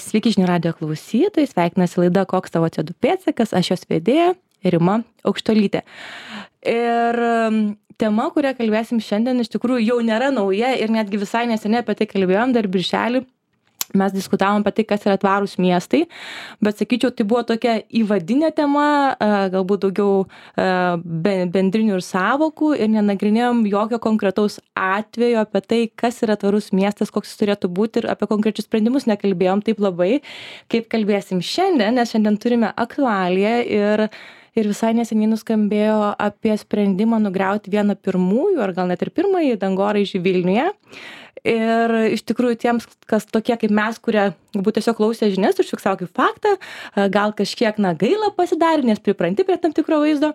Sveiki žinių radijo klausytojai, sveikinasi laida Koks tavo CO2 pėdsakas, aš jos vedėja Rima Aukštuolytė. Ir tema, kurią kalbėsim šiandien, iš tikrųjų jau nėra nauja ir netgi visai neseniai apie tai kalbėjom, dar birželį mes diskutavom apie tai, kas yra tvarūs miestai, bet sakyčiau, tai buvo tokia įvadinė tema, galbūt daugiau bendrinių ir sąvokų ir nenagrinėjom jokio konkretaus atvejo apie tai, kas yra tvarus miestas, koks jis turėtų būti ir apie konkrečius sprendimus nekalbėjom taip labai, kaip kalbėsim šiandien, nes šiandien turime aktualiją ir visai neseniai nuskambėjo apie sprendimą nugriauti vieną pirmųjų, ar gal net ir pirmąjį dangoraižį Vilniuje. Ir iš tikrųjų tiems, kas tokie kaip mes, kurie galbūt tiesiog klausė žinias, užfiksavo kaip faktą, gal kažkiek gaila pasidarė, nes pripranti prie tam tikro vaizdo,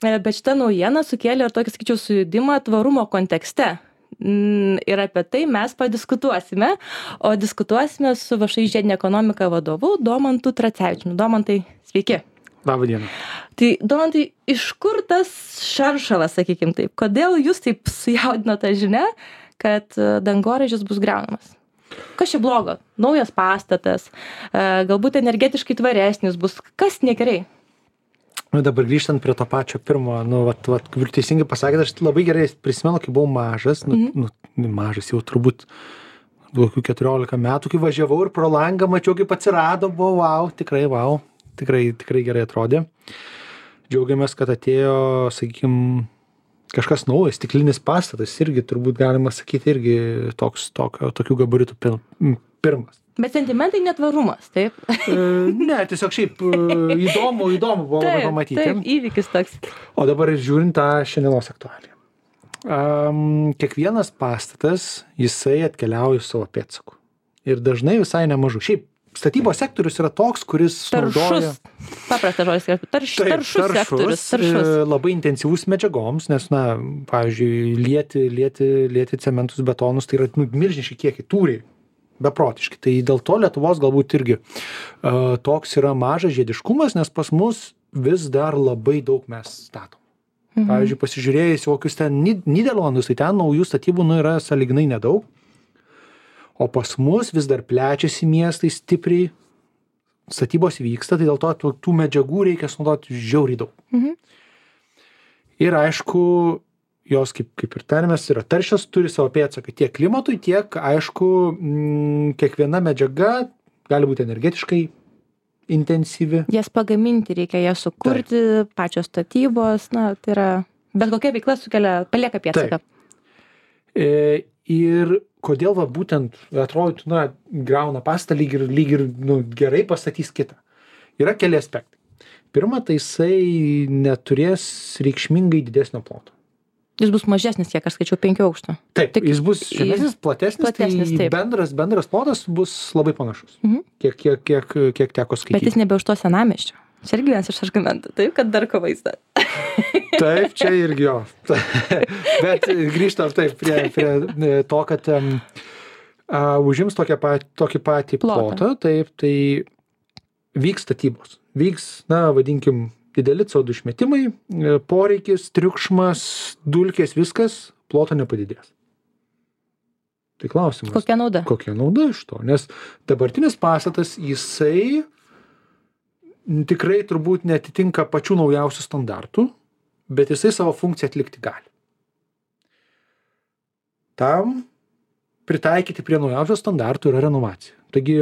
bet šita naujiena sukėlė ir tokį, sakyčiau, sujudimą tvarumo kontekste. Ir apie tai mes padiskutuosime, o diskutuosime su VŠI žiedinė ekonomika vadovu Domantu Tracevičiumi. Domantai, sveiki. Labą dieną. Tai, Domantai, iš kur tas šaršalas, sakykim taip? Kodėl jūs taip sujaudino tą žinią, kad dangoraižis bus griaunamas? Kas čia blogo? Naujas pastatas, galbūt energetiškai tvaresnis bus. Kas negerai? Dabar grįžtant prie to pačio pirmo, kaip ir teisingai pasakėte, aš labai gerai prisimenu, kai buvau mažas, mažas jau turbūt 14 metų, kai važiavau ir pro langą mačiau, kaip atsirado, buvo tikrai gerai atrodė. Džiaugiamės, kad atėjo, sakykime, kažkas naujas, stiklinis pastatas, irgi turbūt galima sakyti, irgi tokių gabaritų pirmas. Bet sentimentai netvarumas, taip? Ne, tiesiog šiaip įdomu buvo pamatyti. Taip, įvykis toks. O dabar žiūrint tą šiandienos aktualiją. Kiekvienas pastatas, jisai atkeliauja savo pėdsaku. Ir dažnai visai nemažu. Šiaip statybos sektorius yra toks, kuris naudoja... Paprastas žodis, taršus sektorius. Labai intensyvus medžiagoms, nes, pavyzdžiui, lieti cementus, betonus, tai yra milžiniški kiekiai, tūriai, beprotiški. Tai dėl to Lietuvos galbūt irgi toks yra mažas žiediškumas, nes pas mus vis dar labai daug mes statom. Pavyzdžiui, pasižiūrėjus kokius ten Nyderlandus, tai ten naujų statybų yra sąlyginai nedaug. O pas mus vis dar plečiasi miestai stipriai, statybos vyksta, tai dėl to tų medžiagų reikia sunaudoti žiauriai daug. Ir aišku, jos kaip ir tarmės yra taršios, turi savo pėdsaką tiek klimatui, tiek, aišku, kiekviena medžiaga gali būti energetiškai intensyvi. Jas pagaminti reikia, jas sukurti, pačios statybos, tai yra, bet kokia veikla palieka pėdsaką. Ir kodėl būtent atrodytų, griauna pastatą, lyg ir gerai pastatys kitą. Yra keli aspektai. Pirma, tai jisai neturės reikšmingai didesnio ploto. Jis bus mažesnis, kiek aš skaičiau, 5 aukštų. Taip, jis bus žemesnis, platesnis, tai bendras plotas bus labai panašus, kiek teko skaityti. Bet jis nebe už to senamiesčio. Čia irgi vienas iš argumentų, taip, kad dar ko vaizdą. Taip, čia irgi jo. Bet grįžtam taip prie to, kad užims tokį patį plotą, taip, tai vyks statybos. Vyks, vadinkim, dideli CO2 išmetimai, poreikis, triukšmas, dulkės, viskas, ploto nepadidės. Tai klausimas. Kokia nauda? Kokia nauda iš to? Nes dabartinis pastatas, jisai tikrai turbūt netitinka pačių naujausių standartų, bet jisai savo funkciją atlikti gali. Tam pritaikyti prie naujausių standartų yra renovacija. Taigi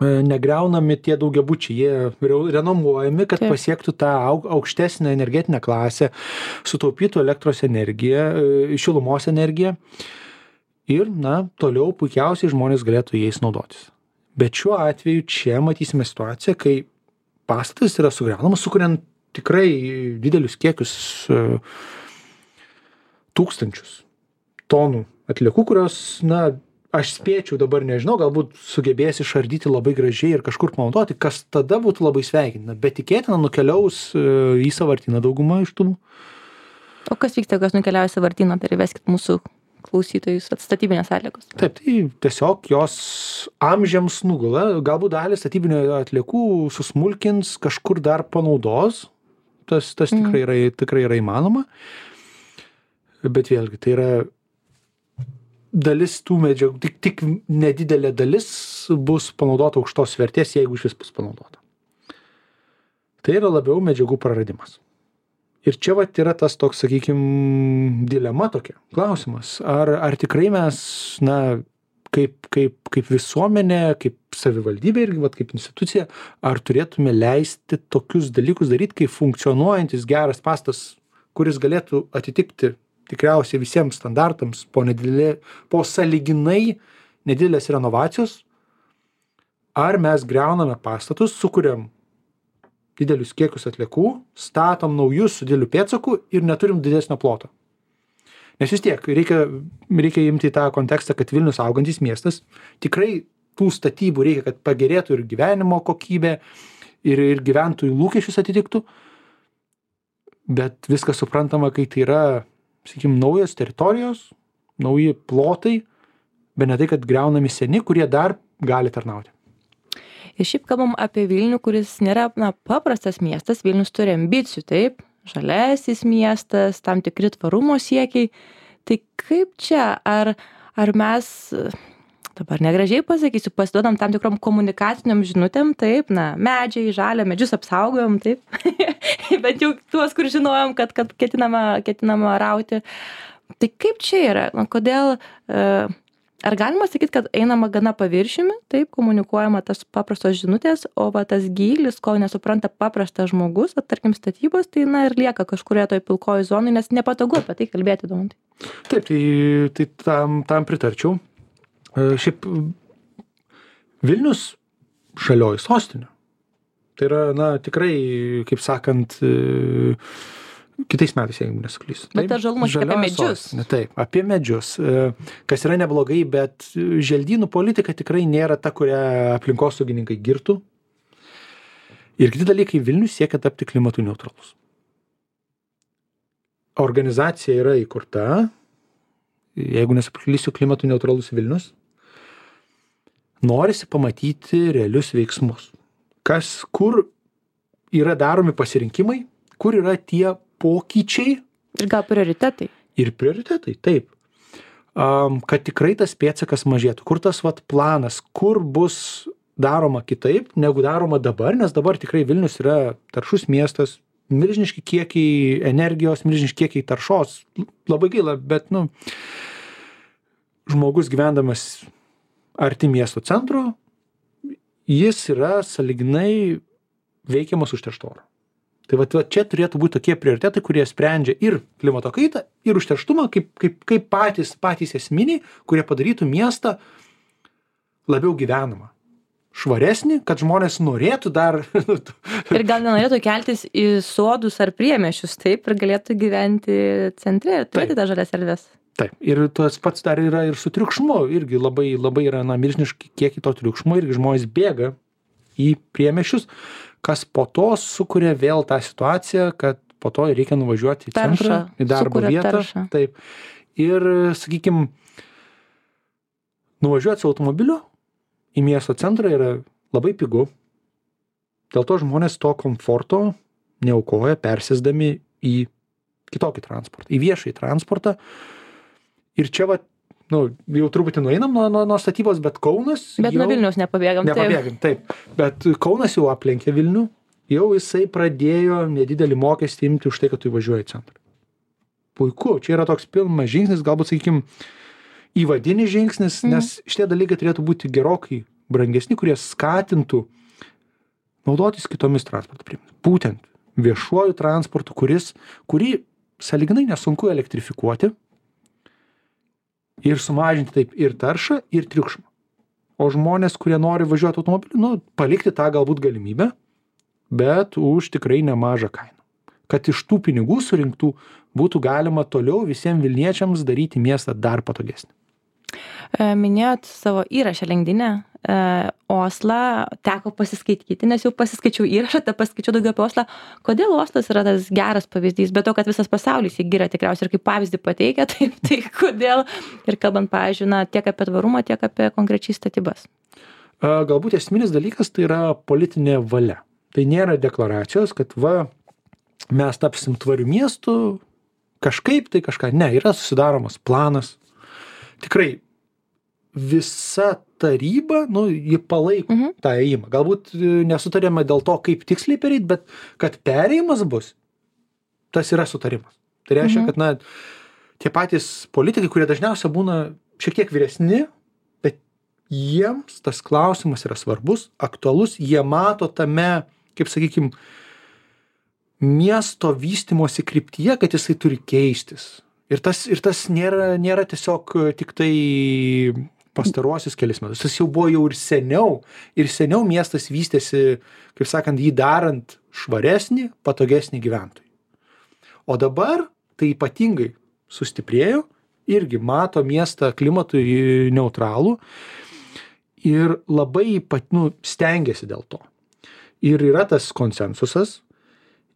negriaunami tie daugiabučiai, jie renovuojami, kad pasiektų tą aukštesnę energetinę klasę, sutaupytų elektros energiją, šilumos energiją ir, toliau puikiausiai žmonės galėtų jais naudotis. Bet šiuo atveju čia matysime situaciją, kai pastatas yra sugriaunamas, sukuriant tikrai didelius kiekius, tūkstančius tonų atliekų, kurios, aš spėčiau, dabar nežinau, galbūt sugebės išardyti labai gražiai ir kažkur panaudoti, kas tada būtų labai sveikintina, bet tikėtina nukeliaus į sąvartyną dauguma iš tų. O kas vyksta, kas nukeliauja į sąvartyną, tai įveskit mūsų klausytojus statybinės atliekos. Taip, tai tiesiog jos amžiams nugula, galbūt dalį statybinio atliekų susmulkins, kažkur dar panaudos, tas tikrai yra įmanoma, bet vėlgi tai yra dalis tų medžiagų, tik nedidelė dalis bus panaudota aukštos vertės, jeigu iš vis bus panaudota. Tai yra labiau medžiagų praradimas. Ir čia vat yra tas toks, sakykime, dilema tokia, klausimas, ar tikrai mes, kaip visuomenė, kaip savivaldybė irgi, vat, kaip institucija, ar turėtume leisti tokius dalykus daryti, kaip funkcionuojantis geras pastas, kuris galėtų atitikti tikriausiai visiems standartams po sąlyginai nedidelės renovacijos, ar mes griauname pastatus, sukuriam didelius kiekius atliekų, statom naujus su dideliu pėdsaku ir neturim didesnio ploto. Nes vis tiek reikia imti tą kontekstą, kad Vilnius augantis miestas, tikrai tų statybų reikia, kad pagerėtų ir gyvenimo kokybė, ir gyventojų lūkesčius atitiktų, bet viskas suprantama, kai tai yra, sakykime, naujos teritorijos, nauji plotai, bet ne tai, kad griaunami seni, kurie dar gali tarnauti. Ir šiaip kalbam apie Vilnių, kuris nėra paprastas miestas. Vilnius turi ambicijų, taip, žalesis miestas, tam tikri tvarumo siekiai. Tai kaip čia, ar mes, dabar negražiai pasakysiu, pasiduodam tam tikrom komunikaciniam žinutėm, taip, medžiai, žalia, medžius apsaugojom, taip, bet jau tuos, kur žinojom, kad ketinama rauti. Tai kaip čia yra? Kodėl... Ar galima sakyti, kad einama gana paviršiumi, taip, komunikuojama tas paprastos žinutės, o tas gylis, ko nesupranta paprastas žmogus, tarkim statybos, tai ir lieka kažkurioje toj pilkoji zonai, nes nepatogu apie tai kalbėti, Domantai. Taip, tai tam pritarčiau. Šiaip Vilnius žalioji sostinė. Tai yra, tikrai, kaip sakant, kitais metais, jeigu nesuklysiu. Bet tas žalumas apie medžius. Taip, apie medžius. Kas yra neblogai, bet želdynų politika tikrai nėra ta, kurią aplinkosaugininkai girtų. Ir kiti dalykai, Vilnius siekia tapti klimatui neutralus. Organizacija yra įkurta, jeigu nesuklysiu, klimatui neutralus Vilnius. Norisi pamatyti realius veiksmus. Kur yra daromi pasirinkimai, kur yra tie pokyčiai. Ir gal prioritetai. Ir prioritetai, taip. Kad tikrai tas pėdsakas mažėtų. Kur tas planas, kur bus daroma kitaip, negu daroma dabar, nes dabar tikrai Vilnius yra taršus miestas, milžiniški kiekiai energijos, milžiniški kiekiai taršos. Labai gaila, bet, žmogus gyvendamas arti miesto centro, jis yra sąlyginai veikiamas užteršto oro. Tai čia turėtų būti tokie prioritetai, kurie sprendžia ir klimato kaitą, ir užterštumą, kaip patys esminiai, kurie padarytų miestą labiau gyvenamą, švaresnį, kad žmonės norėtų dar... Ir gal nenorėtų keltis į sodus ar priemiesčius, taip, ir galėtų gyventi centre, turėti tą žalias erdves. Taip, ir tas pats dar yra ir su triukšmu, irgi labai yra milžiniški kiekį to triukšmo, irgi žmonės bėga į priemiesčius, kas po to sukuria vėl tą situaciją, kad po to reikia nuvažiuoti į centrą, į darbo vietą. Taip. Ir, sakykime, nuvažiuoti su automobiliu į miesto centrą yra labai pigu. Dėl to žmonės to komforto neaukoja, persėsdami į kitokį transportą, į viešąjį transportą. Ir čia jau truputį nueinam nuo statybos, bet Kaunas... Bet nuo Vilniaus nepabėgam. Taip. Bet Kaunas jau aplenkė Vilnių, jau jisai pradėjo nedidelį mokestį imti už tai, kad tu įvažiuoji į centrą. Puiku, čia yra toks pilnas žingsnis, galbūt, sakykime, įvadinis žingsnis, nes šitie dalykai turėtų būti gerokai brangesni, kurie skatintų naudotis kitomis transporto priemonėmis. Būtent viešuoju transportu, kurį sąlyginai nesunku elektrifikuoti, ir sumažinti taip ir taršą, ir triukšmą. O žmonės, kurie nori važiuoti automobiliu, palikti tą galbūt galimybę, bet už tikrai nemažą kainą. Kad iš tų pinigų surinktų būtų galima toliau visiems Vilniečiams daryti miestą dar patogesnį. Minėjot savo įrašą LinkedIn'e, Oslą, teko pasiskaityti, nes jau pasiskaičiau įrašą, pasiskaičiau daugiau apie Oslą. Kodėl Oslas yra tas geras pavyzdys? Bet to, kad visas pasaulis jį giria tikriausiai ir kaip pavyzdį pateikia, tai kodėl? Ir kalbant, pavyzdžiui, tiek apie tvarumą, tiek apie konkrečiai statybas. Galbūt esminis dalykas tai yra politinė valia. Tai nėra deklaracijos, kad mes tapsim tvariu miestu, kažkaip tai kažką. Ne, yra susidaromas planas. tikrai visa taryba, ji palaiko tą ėjimą. Galbūt nesutarėme dėl to, kaip tiksliai pereit, bet kad perėjimas bus, tas yra sutarimas. Tai reiškia, kad, tie patys politikai, kurie dažniausiai būna šiek tiek vyresni, bet jiems tas klausimas yra svarbus, aktualus, jie mato tame, kaip sakykim, miesto vystymosi kryptyje, kad jisai turi keistis. Ir tas nėra tiesiog tik tai pastaruosius kelis metus. Tas jau buvo jau ir seniau miestas vystėsi, kaip sakant, jį darant švaresnį, patogesnį gyventojui. O dabar tai ypatingai sustiprėjo, irgi mato miestą klimatui neutralų ir labai stengiasi dėl to. Ir yra tas konsensusas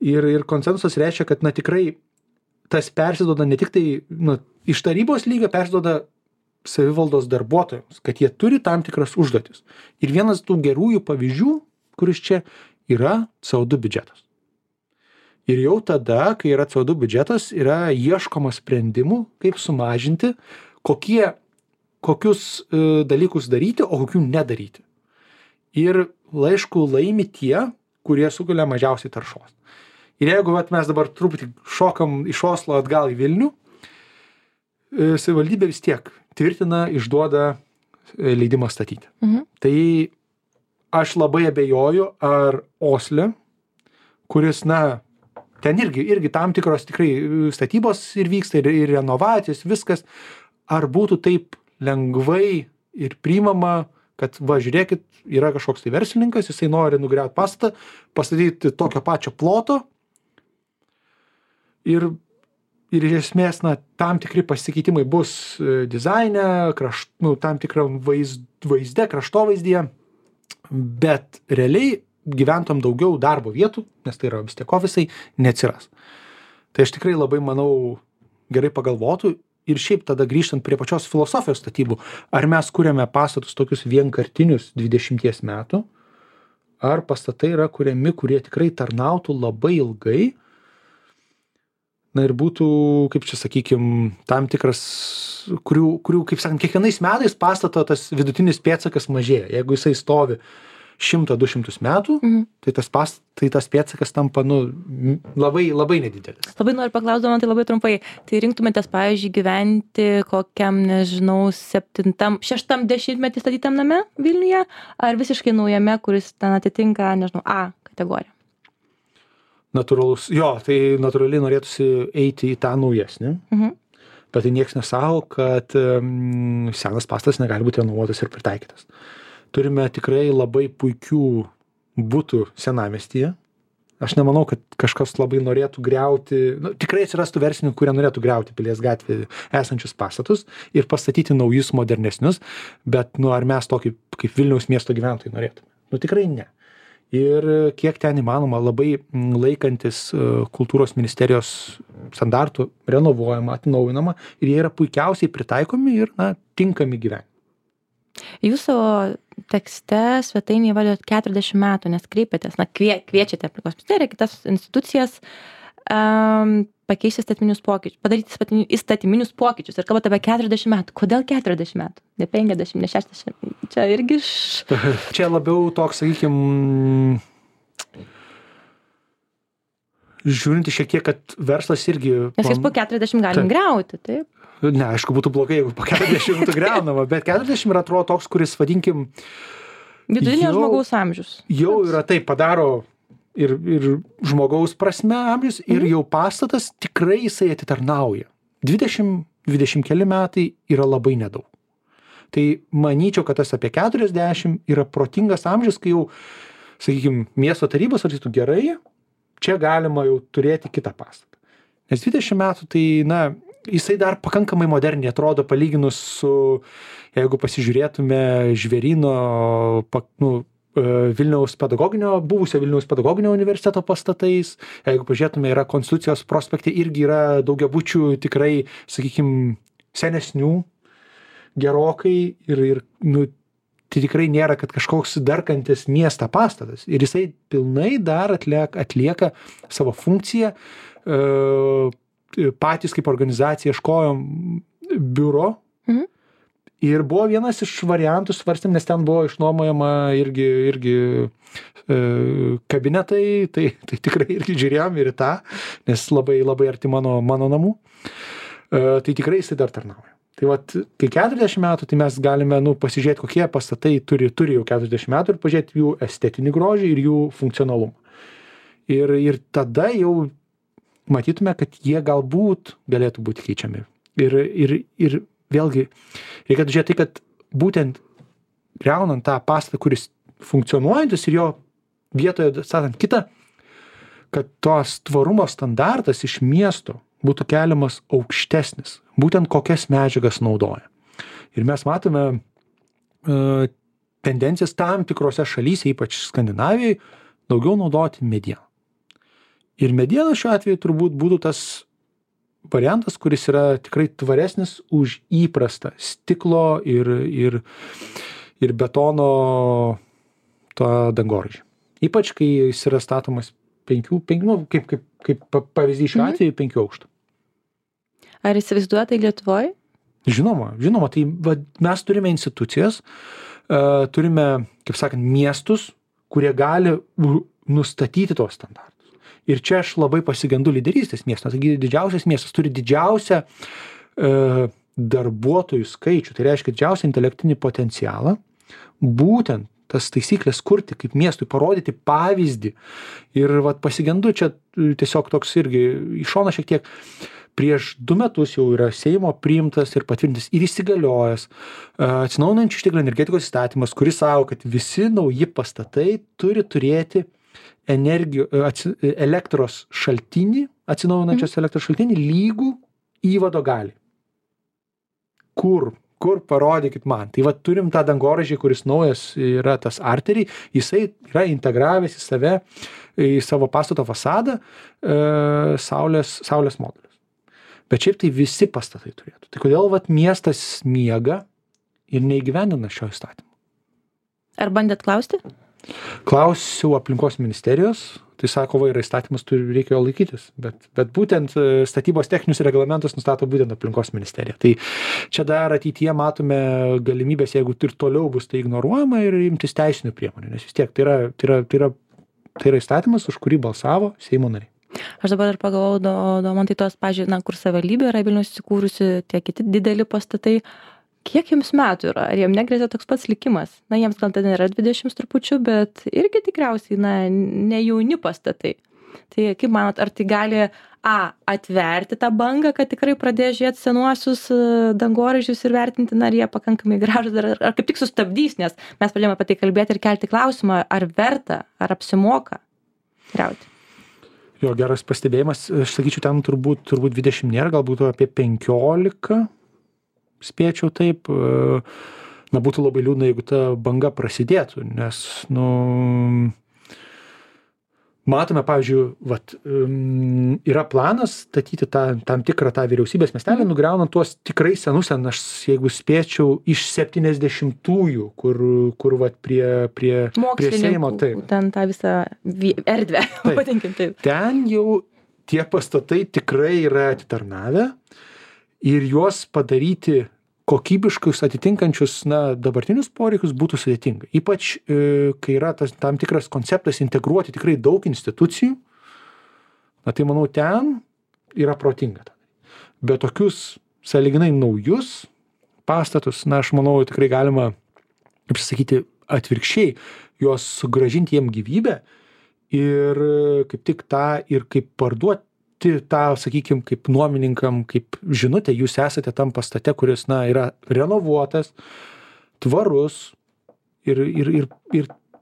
ir konsensusas reiškia, kad tikrai tas persiduoda ne tik tai iš tarybos lygio persiduoda savivaldos darbuotojams, kad jie turi tam tikras užduotis. Ir vienas tų gerųjų pavyzdžių, kuris čia yra CO2 biudžetas. Ir jau tada, kai yra CO2 biudžetas, yra ieškoma sprendimų, kaip sumažinti, kokius dalykus daryti, o kokių nedaryti. Ir aišku, laimi tie, kurie sukelia mažiausiai taršos. Ir jeigu mes dabar truputį šokam iš Oslo atgal į Vilnių, savivaldybė vis tiek tvirtina, išduoda leidimą statyti. Tai aš labai abejoju, ar Osle, kuris, ten irgi tam tikros tikrai statybos ir vyksta, ir renovacijos, viskas, ar būtų taip lengvai ir priimama, kad žiūrėkit, yra kažkoks tai verslininkas, jisai nori nugriauti pastatą, pastatyti tokio pačio ploto ir iš esmės, tam tikri pasikeitimai bus dizaine, tam tikram vaizde, kraštovaizdyje, bet realiai gyventojam daugiau darbo vietų, nes tai yra vis tiek ofisai, neatsiras. Tai aš tikrai labai manau gerai pagalvotų ir šiaip tada grįžtant prie pačios filosofijos statybų, ar mes kuriame pastatus tokius vienkartinius 20 metų, ar pastatai yra kuriami, kurie tikrai tarnautų labai ilgai, ir būtų, kaip čia sakykim, tam tikras, kurių, kaip sakant, kiekvienais metais pastato tas vidutinis pėdsakas mažėja. Jeigu jisai stovi 100-200 metų, tai tas pėdsakas tampa, labai, labai nedidelis. Labai noriu paklausti, man tai labai trumpai. Tai rinktumėtės, pavyzdžiui, gyventi kokiam, nežinau, 6-10 statytam name Vilniuje, ar visiškai naujame, kuris ten atitinka, nežinau, A kategoriją? Natūralus, tai natūraliai norėtųsi eiti į tą naujesnį, bet tai nieks nesako, kad senas pastatas negali būti renovuotas ir pritaikytas. Turime tikrai labai puikių butų senamiestyje. Aš nemanau, kad kažkas labai norėtų griauti, tikrai atsirastų verslininkų, kurie norėtų griauti Pilies gatvėje esančius pastatus ir pastatyti naujus, modernesnius, bet ar mes tokį kaip Vilniaus miesto gyventojai norėtume? Tikrai ne. Ir kiek ten įmanoma, labai laikantis kultūros ministerijos standartų, renovuojama, atnaujinama ir jie yra puikiausiai pritaikomi ir tinkami gyventi. Jūs savo tekste svetainėje įvardijot 40 metų, nes kreipėtės, kviečiate aplinkos ministeriją, kitas institucijas pakeisti įstatyminius pokyčius, padaryti įstatyminius pokyčius ir kalbate apie 40 metų. Kodėl 40 metų? Ne 50, ne 60. Čia irgi Čia labiau toks, sakykime, žiūrinti šiek tiek, kad verslas irgi... Nes jis po 40 galim griauti, taip? Ne, aišku, būtų blogai, jeigu po 40 būtų griaunama, bet 40 yra atrodo toks, kuris, vadinkim... Vidutinio žmogaus amžius. Jau yra taip, padaro ir žmogaus prasme amžius, ir jau pastatas tikrai jisai atitarnauja. 20 keli metai yra labai nedaug. Tai manyčiau, kad tas apie 40 yra protingas amžius, kai jau, sakykime, miesto tarybos sakytų gerai, čia galima jau turėti kitą pastatą. Nes 20 metų tai, jisai dar pakankamai moderniai atrodo palyginus su, jeigu pasižiūrėtume Žvėryno, buvusio Vilniaus pedagoginio universiteto pastatais, jeigu pažiūrėtume, yra Konstitucijos prospekte, irgi yra daugiabučių tikrai, sakykime, senesnių gerokai ir tai tikrai nėra, kad kažkoks darkantis miestą pastatas. Ir jisai pilnai dar atlieka savo funkciją. Patys kaip organizacija ieškojom biuro Ir buvo vienas iš variantų svarstėm, nes ten buvo išnuomojama irgi kabinetai, tai tikrai irgi žiūrėjom ir į tą, nes labai, labai arti mano namų. Tai tikrai jisai dar tarnauja. Tai vat, kai 40 metų, tai mes galime pasižiūrėti, kokie pastatai turi jau 40 metų ir pažiūrėti jų estetinį grožį ir jų funkcionalumą. Ir tada jau matytume, kad jie galbūt galėtų būti keičiami. Ir vėlgi, reikėtų žiūrėti tai, kad būtent griaunant tą pastatą, kuris funkcionuojantis ir jo vietoje statant kitą, kad tos tvarumo standartas iš miesto būtų keliamas aukštesnis, būtent kokias medžiagas naudoja. Ir mes matome tendencijas tam tikrose šalyse, ypač Skandinavijai, daugiau naudoti medieną. Ir mediena šiuo atveju turbūt būtų tas variantas, kuris yra tikrai tvaresnis už įprastą stiklo ir betono tą dangoraižį. Ypač, kai jis yra statomas kaip pavyzdys šiuo atveju 5 aukštų. Ar įsivaizduoja tai Lietuvoje? Žinoma. Tai mes turime institucijas, turime, kaip sakant, miestus, kurie gali nustatyti tos standartus. Ir čia aš labai pasigendu lyderystės miesto. Taigi didžiausias miestas turi didžiausią darbuotojų skaičių, tai reiškia didžiausią intelektinį potencialą, būtent tas taisyklės kurti, kaip miestui parodyti pavyzdį. Ir pasigendu čia tiesiog toks irgi iš šono šiek tiek. Prieš 2 metus jau yra Seimo priimtas ir patvirtintas ir įsigaliojęs atsinaujinančių išteklių energetikos įstatymas, kuris sako, kad visi nauji pastatai turi turėti elektros šaltinį, atsinaujinančios elektros šaltinį lygų įvado gali. Kur parodykit man. Tai turim tą dangoraižį, kuris naujas yra tas arteriai, jisai yra integravęs į save, į savo pastato fasadą saulės modulius. Bet šiaip tai visi pastatai turėtų. Tai kodėl miestas miega ir neįgyvendina šio įstatymo? Ar bandėt klausti? Klausiau aplinkos ministerijos, tai sako, yra įstatymas, reikia jo laikytis, bet būtent statybos techninius reglamentus nustato būtent aplinkos ministerija. Tai čia dar ateityje matome galimybės, jeigu ir toliau bus tai ignoruojama ir imtis teisinių priemonių, nes vis tiek tai yra įstatymas, už kurį balsavo Seimo nariai. Aš dabar dar pagalvojau, Domantai, tos, pažiūrėjau, kur savivaldybė yra Vilnius įsikūrusi, tie kiti dideli pastatai. Kiek jiems metų yra? Ar jiems negrėsia toks pats likimas? Jiems gal ten yra 20 trupučių, bet irgi tikriausiai, ne jauni pastatai. Tai kaip manot, ar tai gali atverti tą bangą, kad tikrai pradės žiūrėti senuosius dangoraižius ir vertinti, ar jie pakankamai gražūs, ar kaip tik sustabdys, nes mes pradėjome apie tai kalbėti ir kelti klausimą, ar verta, ar apsimoka griauti. Jo, geras pastebėjimas. Aš sakyčiau, ten turbūt 20 nėra, galbūt apie 15 spėčiau taip. Būtų labai liūdna, jeigu ta banga prasidėtų, nes, matome, pavyzdžiui, yra planas statyti tam tikrą tą vyriausybės miestelį, nugriaunant tuos tikrai senus, aš jeigu spėčiau, iš 70-ųjų, kur prie Seimo. Ten tą visą erdvę, vadinkim taip. Ten jau tie pastatai tikrai yra atitarnavę ir juos padaryti kokybiškus, atitinkančius dabartinius poreikius būtų sudėtinga. Ypač, kai yra tam tikras konceptas integruoti tikrai daug institucijų, tai manau, ten yra protinga. Bet tokius sąlyginai naujus pastatus, aš manau, tikrai galima, kaip sakyti, atvirkščiai, juos sugrąžinti jiem gyvybę ir kaip tik tą ir kaip parduoti tą, sakykime, kaip nuomininkam, kaip žinutė, jūs esate tam pastate, kuris, yra renovuotas, tvarus ir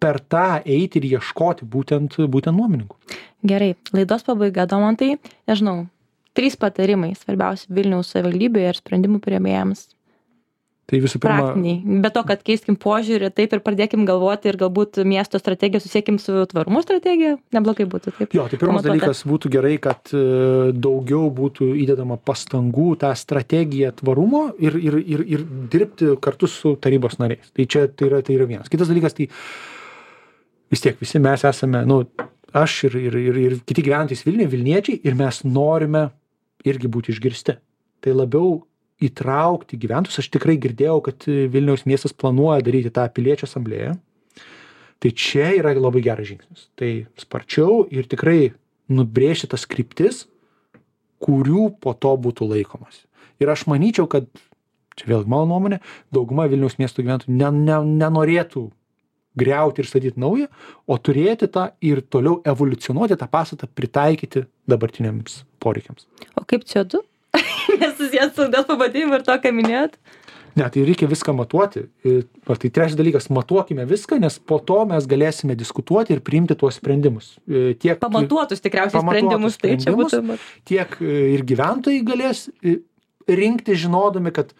per tą eiti ir ieškoti būtent nuomininkų. Gerai, laidos pabaiga, Domantai, nežinau, 3 patarimai svarbiausi Vilniaus savivaldybėje ir sprendimų priėmėjams. Tai visų pirma, praktiniai. Be to, kad keiskim požiūrį, taip ir pradėkim galvoti ir galbūt miesto strategiją susiekim su tvarumo strategija, neblogai būtų taip. Jo, tai pirmas dalykas būtų gerai, kad daugiau būtų įdedama pastangų tą strategiją tvarumo ir dirbti kartu su tarybos nariais. Tai čia tai yra vienas. Kitas dalykas, tai vis tiek visi mes esame, aš ir kiti gyventojai Vilniuje, Vilniečiai, ir mes norime irgi būti išgirsti. Tai labiau įtraukti gyventojus. Aš tikrai girdėjau, kad Vilniaus miestas planuoja daryti tą piliečių asamblėją. Tai čia yra labai geras žingsnis. Tai sparčiau ir tikrai nubrėžti tas kryptis, kurių po to būtų laikomas. Ir aš manyčiau, kad, čia vėlgi mano nuomonė, dauguma Vilniaus miesto gyventojų nenorėtų griauti ir statyti naują, o turėti tą ir toliau evoliucionuoti tą pastatą, pritaikyti dabartiniams poreikiams. O kaip CO2? Nesusijęs su dėl pavadinimu ir to, ką minėjot? Ne, tai reikia viską matuoti. Tai trečias dalykas, matuokime viską, nes po to mes galėsime diskutuoti ir priimti tuos sprendimus. Pamatuotus tikriausiai sprendimus, tai čia būtų. Tiek ir gyventojai galės rinkti, žinodami, kad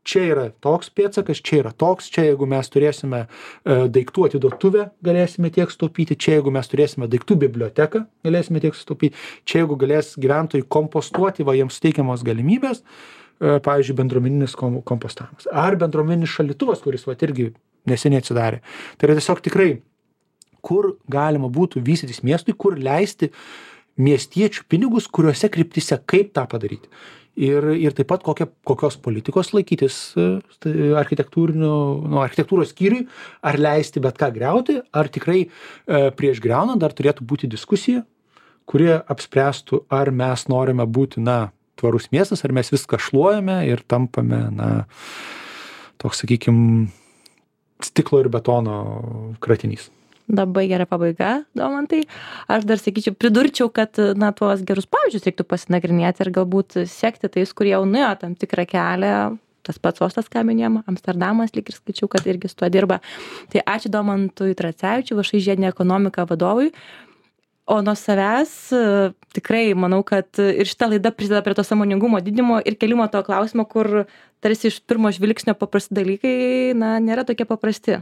čia yra toks pėdsakas, čia yra toks, čia jeigu mes turėsime daiktų atiduotuvę, galėsime tiek sutaupyti, čia jeigu mes turėsime daiktų biblioteką, galėsime tiek sutaupyti, čia jeigu galės gyventojai kompostuoti, va jiems suteikiamos galimybės, pavyzdžiui, bendruomeninis kompostavimas. Ar bendruomeninis šaldytuvas, kuris va irgi neseniai atsidarė. Tai yra tiesiog tikrai, kur galima būtų vystytis miestui, kur leisti miestiečių pinigus, kuriuose kryptise, kaip tą padaryti. Ir taip pat kokios politikos laikytis architektūros skyriui, ar leisti bet ką griauti, ar tikrai prieš griaunant dar turėtų būti diskusija, kurie apspręstų, ar mes norime būti, tvarus miestas, ar mes viską šluojame ir tampame, toks, sakykime, stiklo ir betono kratinys. Labai gera pabaiga, Domantai. Aš dar pridurčiau, kad tuos gerus pavyzdžius reiktų pasinagrinėti ir galbūt sekti tais, kurie jau nuėjo tam tikrą kelią. Tas pats Ostas, ką minėjom, Amsterdamas, lyg ir skaičiau, kad irgi su tuo dirba. Tai ačiū Domantui Tracevičiui, VŠI žiedinė ekonomika vadovui. O nuo savęs tikrai manau, kad ir šita laida prisideda prie to sąmoningumo didinimo ir kelimo to klausimo, kur tarsi iš pirmo žvilgsnio paprasti dalykai, nėra tokie paprasti.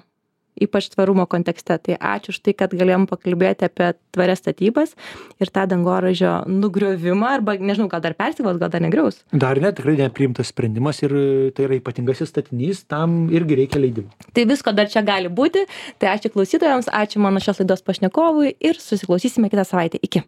Ypač tvarumo kontekste. Tai ačiū už tai, kad galėjom pakalbėti apie tvarias statybas ir tą dangoraižio nugriovimą, arba, nežinau, gal dar persikvals, gal dar negriaus. Dar ne, tikrai nepriimtas sprendimas ir tai yra ypatingasis statinys, tam irgi reikia leidimų. Tai visko dar čia gali būti. Tai ačiū klausytojams, ačiū mano šios laidos pašnekovui ir susiklausysime kitą savaitę. Iki.